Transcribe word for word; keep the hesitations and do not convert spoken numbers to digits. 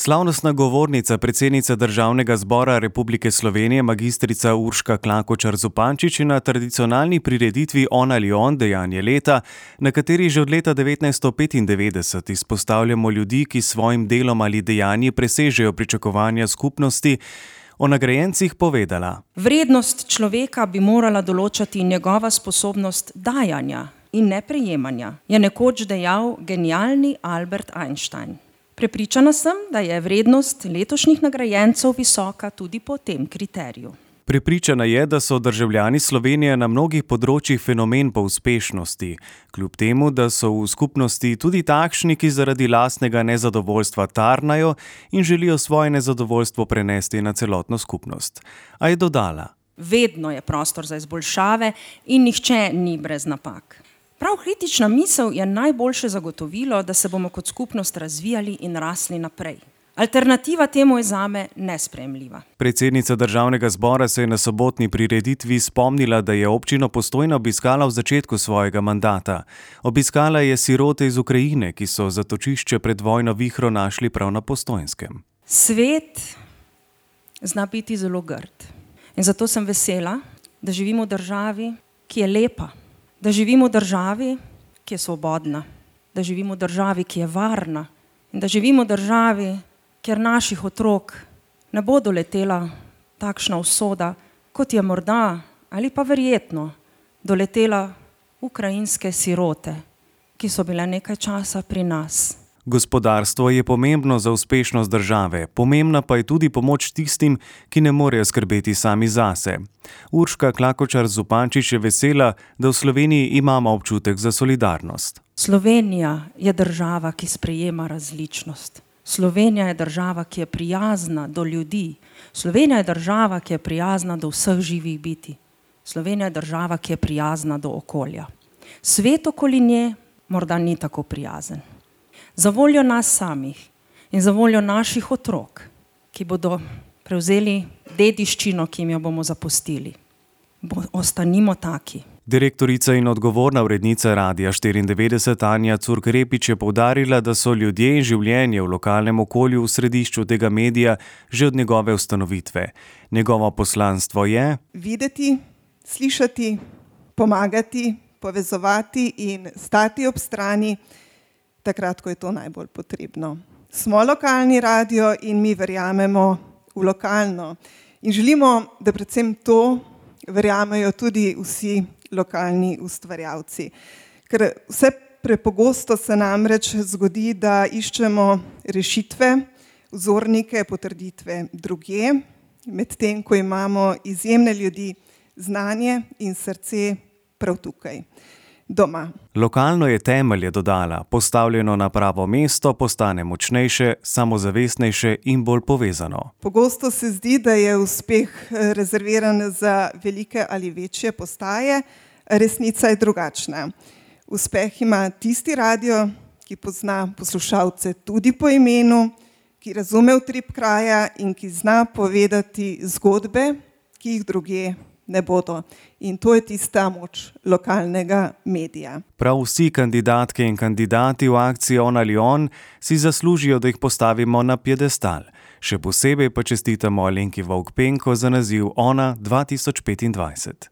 Slavnostna govornica, predsednica Državnega zbora Republike Slovenije, magistrica Urška Klakočar Zupančič, je na tradicionalni prireditvi On ali on, dejanje leta, na kateri že od leta devetnajststo petindevetdeset izpostavljamo ljudi, ki s svojim delom ali dejanji presežejo pričakovanja skupnosti, o nagrajencih povedala: Vrednost človeka bi morala določati njegova sposobnost dajanja in ne prejemanja, je nekoč dejal genialni Albert Einstein. Prepričana sem, da je vrednost letošnjih nagrajencev visoka tudi po tem kriteriju. Prepričana je, da so državljani Slovenije na mnogih področjih fenomen po uspešnosti, kljub temu, da so v skupnosti tudi takšni, ki zaradi lastnega nezadovoljstva tarnajo in želijo svoje nezadovoljstvo prenesti na celotno skupnost. A je dodala: Vedno je prostor za izboljšave in nihče ni brez napak. Prav kritična misel je najboljše zagotovilo, da se bomo kot skupnost razvijali in rasli naprej. Alternativa temu je zame nesprejemljiva. Predsednica Državnega zbora se je na sobotni prireditvi spomnila, da je občino Postojna obiskala v začetku svojega mandata. Obiskala je sirote iz Ukrajine, ki so zatočišče pred vojno vihro našli prav na Postojnskem. Svet zna biti zelo grd. In zato sem vesela, da živimo v državi, ki je lepa. Da živimo v državi, ki je svobodna, da živimo v državi, ki je varna in da živimo v državi, kjer naših otrok ne bo doletela takšna usoda, kot je morda ali pa verjetno doletela ukrajinske sirote, ki so bile nekaj časa pri nas. Gospodarstvo je pomembno za uspešnost države, pomembna pa je tudi pomoč tistim, ki ne morejo skrbeti sami zase. Urška Klakočar Zupančič je vesela, da v Sloveniji imamo občutek za solidarnost. Slovenija je država, ki sprejema različnost. Slovenija je država, ki je prijazna do ljudi. Slovenija je država, ki je prijazna do vseh živih biti. Slovenija je država, ki je prijazna do okolja. Svet okoli nje morda ni tako prijazen. Za voljo nas samih in za voljo naših otrok, ki bodo prevzeli dediščino, ki jim jo bomo zapustili. Bo, ostanimo taki. Direktorica in odgovorna urednica Radia štiriindevetdeset Anja Curk-Repič je poudarila, da so ljudje in življenje v lokalnem okolju v središču tega medija že od njegove ustanovitve. Njegovo poslanstvo je videti, slišati, pomagati, povezovati in stati ob strani takrat, ko je to najbolj potrebno. Smo lokalni radio in mi verjamemo v lokalno. In želimo, da predvsem to verjamejo tudi vsi lokalni ustvarjalci. Ker vse prepogosto se namreč zgodi, da iščemo rešitve, vzornike, potrditve drugje, medtem ko imamo izjemne ljudi, znanje in srce prav tukaj. Doma. Lokalno je temelj, je dodala, postavljeno na pravo mesto, postane močnejše, samozavestnejše in bolj povezano. Pogosto se zdi, da je uspeh rezerviran za velike ali večje postaje, resnica je drugačna. Uspeh ima tisti radio, ki pozna poslušalce tudi po imenu, ki razume utrip kraja in ki zna povedati zgodbe, ki jih drugje ne bodo. In to je tista moč lokalnega medija. Prav vsi kandidatke in kandidati v akciji On ali on si zaslužijo, da jih postavimo na piedestal. Še posebej pa čestitamo Alenki Vovk Penko za naziv Ona dva tisoč petindvajset.